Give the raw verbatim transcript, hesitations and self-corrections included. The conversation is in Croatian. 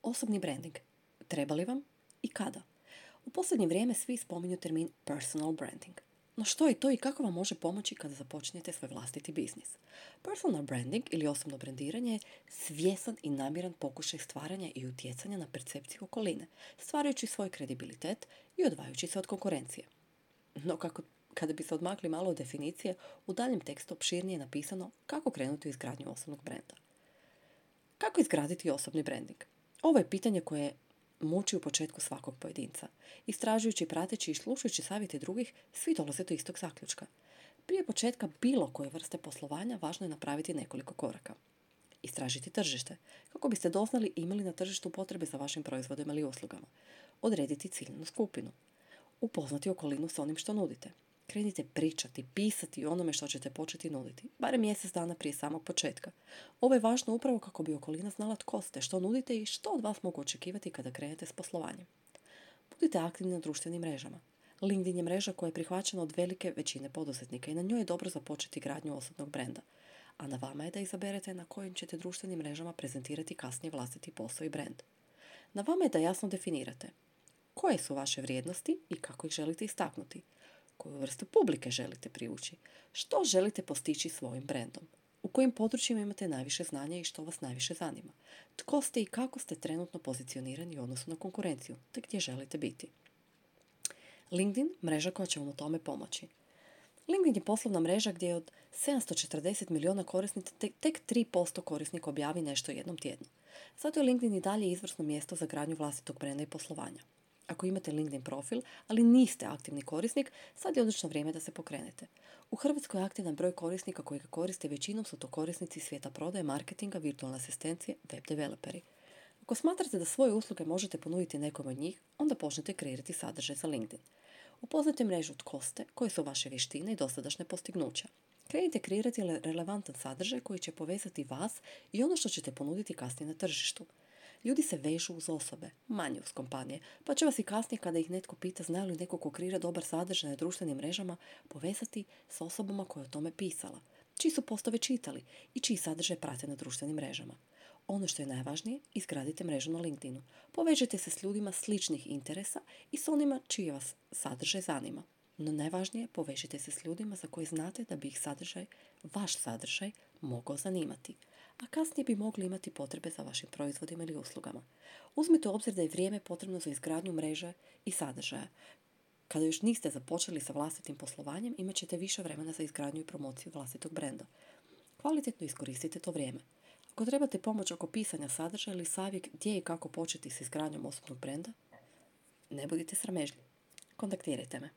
Osobni branding. Treba li vam i kada? U posljednje vrijeme svi spominju termin personal branding. No što je to i kako vam može pomoći kada započnete svoj vlastiti biznis? Personal branding ili osobno brandiranje je svjesan i namjeran pokušaj stvaranja i utjecanja na percepciju okoline, stvarajući svoj kredibilitet i odvajajući se od konkurencije. No kako, kada bi se odmakli malo od definicije, u daljem tekstu opširnije je napisano kako krenuti u izgradnju osobnog brenda. Kako izgraditi osobni branding? Ovo je pitanje koje muči u početku svakog pojedinca. Istražujući, prateći i slušajući savjete drugih, svi dolaze do istog zaključka. Prije početka bilo koje vrste poslovanja važno je napraviti nekoliko koraka. Istražiti tržište, kako biste doznali imali na tržištu potrebe za vašim proizvodima ili uslugama. Odrediti ciljnu skupinu. Upoznati okolinu s onim što nudite. Krenite pričati, pisati o onome što ćete početi nuditi, barem mjesec dana prije samog početka. Ovo je važno upravo kako bi okolina znala tko ste, što nudite i što od vas mogu očekivati kada krenete s poslovanjem. Budite aktivni na društvenim mrežama. LinkedIn je mreža koja je prihvaćena od velike većine poduzetnika i na njoj je dobro započeti gradnju osobnog brenda. A na vama je da izaberete na kojim ćete društvenim mrežama prezentirati kasnije vlastiti posao i brend. Na vama je da jasno definirate koje su vaše vrijednosti i kako ih želite istaknuti. Koju vrstu publike želite privući? Što želite postići svojim brendom? U kojim područjima imate najviše znanja i što vas najviše zanima? Tko ste i kako ste trenutno pozicionirani u odnosu na konkurenciju, te gdje želite biti? LinkedIn, mreža koja će vam u tome pomoći. LinkedIn je poslovna mreža gdje od sedamsto četrdeset milijuna korisnika tek, tek tri posto korisnika objavi nešto jednom tjednu. Zato je LinkedIn i dalje izvrsno mjesto za gradnju vlastitog brenda i poslovanja. Ako imate LinkedIn profil, ali niste aktivni korisnik, sad je odlično vrijeme da se pokrenete. U Hrvatskoj je aktivan broj korisnika koji ga koriste, većinom su to korisnici svijeta prodaje, marketinga, virtualne asistencije, web developeri. Ako smatrate da svoje usluge možete ponuditi nekom od njih, onda počnete kreirati sadržaj za LinkedIn. Upoznajte mrežu tko ste, koje su vaše vještine i dosadašnje postignuća. Krenite kreirati relevantan sadržaj koji će povezati vas i ono što ćete ponuditi kasnije na tržištu. Ljudi se vežu uz osobe, manje uz kompanije, pa će vas i kasnije kada ih netko pita znaju li neko ko kreira dobar sadržaj na društvenim mrežama povezati s osobama koje o tome pisala, čiji su postove čitali i čiji sadržaj prate na društvenim mrežama. Ono što je najvažnije, izgradite mrežu na LinkedInu. Povežite se s ljudima sličnih interesa i s onima čiji vas sadržaj zanima. No najvažnije, povežite se s ljudima za koje znate da bi ih sadržaj, vaš sadržaj, mogao zanimati, a kasnije bi mogli imati potrebe za vašim proizvodima ili uslugama. Uzmite u obzir da je vrijeme potrebno za izgradnju mreže i sadržaja. Kada još niste započeli sa vlastitim poslovanjem, imat ćete više vremena za izgradnju i promociju vlastitog brenda. Kvalitetno iskoristite to vrijeme. Ako trebate pomoć oko pisanja sadržaja ili savjet gdje i kako početi s izgradnjom osobnog brenda, ne budite sramežljivi. Kontaktirajte me.